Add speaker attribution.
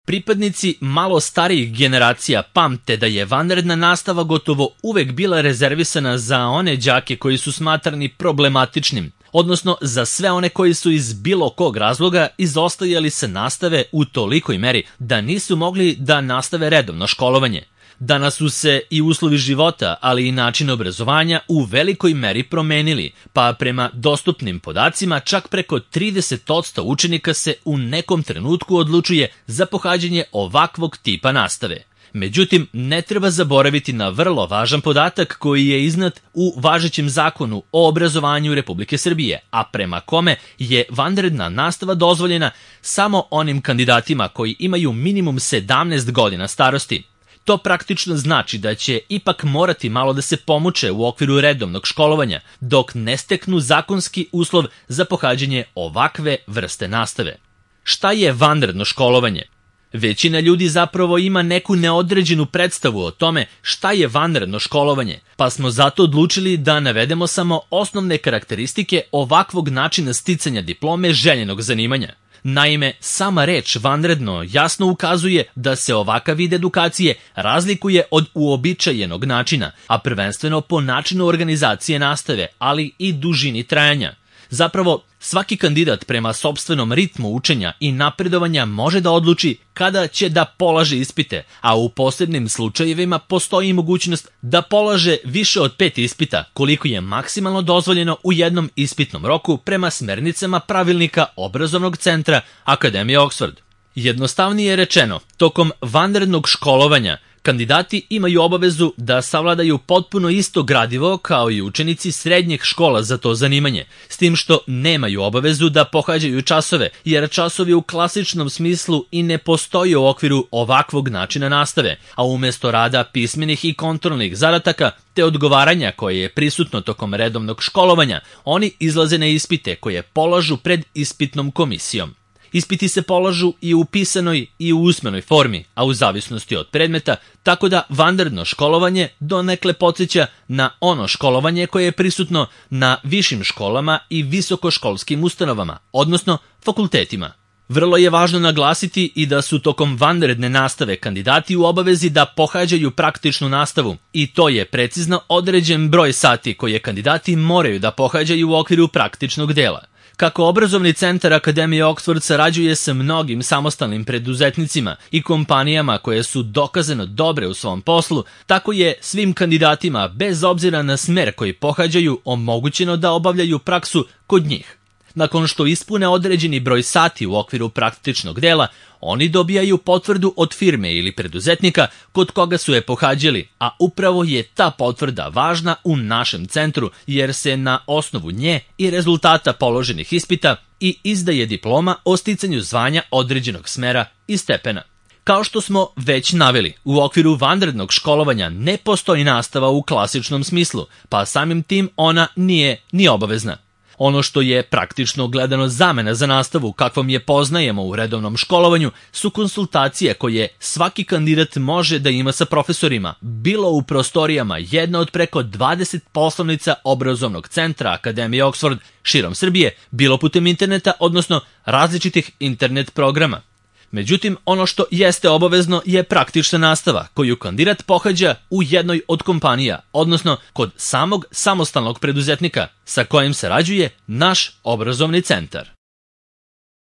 Speaker 1: Pripadnici malo starijih generacija pamte da je vanredna nastava gotovo uvek bila rezervisana za one đake koji su smatrani problematičnim, odnosno za sve one koji su iz bilo kog razloga izostajali sa nastave u tolikoj meri da nisu mogli da nastave redovno školovanje. Danas su se i uslovi života, ali i način obrazovanja u velikoj meri promenili, pa prema dostupnim podacima čak preko 30% učenika se u nekom trenutku odlučuje za pohađanje ovakvog tipa nastave. Međutim, ne treba zaboraviti na vrlo važan podatak koji je iznat u važećem zakonu o obrazovanju Republike Srbije, a prema kome je vanredna nastava dozvoljena samo onim kandidatima koji imaju minimum 17 godina starosti. To praktično znači da će ipak morati malo da se pomuče u okviru redovnog školovanja, dok ne steknu zakonski uslov za pohađanje ovakve vrste nastave. Šta je vanredno školovanje? Većina ljudi zapravo ima neku neodređenu predstavu o tome šta je vanredno školovanje, pa smo zato odlučili da navedemo samo osnovne karakteristike ovakvog načina sticanja diplome željenog zanimanja. Naime, sama reč vanredno jasno ukazuje da se ovakav vid edukacije razlikuje od uobičajenog načina, a prvenstveno po načinu organizacije nastave, ali i dužini trajanja. Zapravo, svaki kandidat prema sopstvenom ritmu učenja i napredovanja može da odluči kada će da polaže ispite, a u posebnim slučajevima postoji mogućnost da polaže više od 5 ispita, koliko je maksimalno dozvoljeno u jednom ispitnom roku prema smernicama pravilnika obrazovnog centra Akademije Oxford. Jednostavnije rečeno, tokom vanrednog školovanja kandidati imaju obavezu da savladaju potpuno isto gradivo kao i učenici srednjih škola za to zanimanje, s tim što nemaju obavezu da pohađaju časove, jer časovi u klasičnom smislu i ne postoje u okviru ovakvog načina nastave, a umesto rada pismenih i kontrolnih zadataka te odgovaranja koje je prisutno tokom redovnog školovanja, oni izlaze na ispite koje polažu pred ispitnom komisijom. Ispiti se polažu i u pisanoj i u usmenoj formi, a u zavisnosti od predmeta, tako da vanredno školovanje donekle podsjeća na ono školovanje koje je prisutno na višim školama i visokoškolskim ustanovama, odnosno fakultetima. Vrlo je važno naglasiti i da su tokom vanredne nastave kandidati u obavezi da pohađaju praktičnu nastavu, i to je precizno određen broj sati koje kandidati moraju da pohađaju u okviru praktičnog dela. Kako obrazovni centar Akademije Oxford sarađuje sa mnogim samostalnim preduzetnicima i kompanijama koje su dokazano dobre u svom poslu, tako je svim kandidatima, bez obzira na smer koji pohađaju, omogućeno da obavljaju praksu kod njih. Nakon što ispune određeni broj sati u okviru praktičnog dela, oni dobijaju potvrdu od firme ili preduzetnika kod koga su je pohađali, a upravo je ta potvrda važna u našem centru jer se na osnovu nje i rezultata položenih ispita i izdaje diploma o sticanju zvanja određenog smera i stepena. Kao što smo već naveli, u okviru vanrednog školovanja ne postoji nastava u klasičnom smislu, pa samim tim ona nije ni obavezna. Ono što je praktično gledano zamena za nastavu kakvom je poznajemo u redovnom školovanju su konsultacije koje svaki kandidat može da ima sa profesorima, bilo u prostorijama jedne od preko 20 poslovnica obrazovnog centra Akademije Oxford širom Srbije, bilo putem interneta, odnosno različitih internet programa. Međutim, ono što jeste obavezno je praktična nastava koju kandidat pohađa u jednoj od kompanija, odnosno kod samog samostalnog preduzetnika sa kojim sarađuje naš obrazovni centar.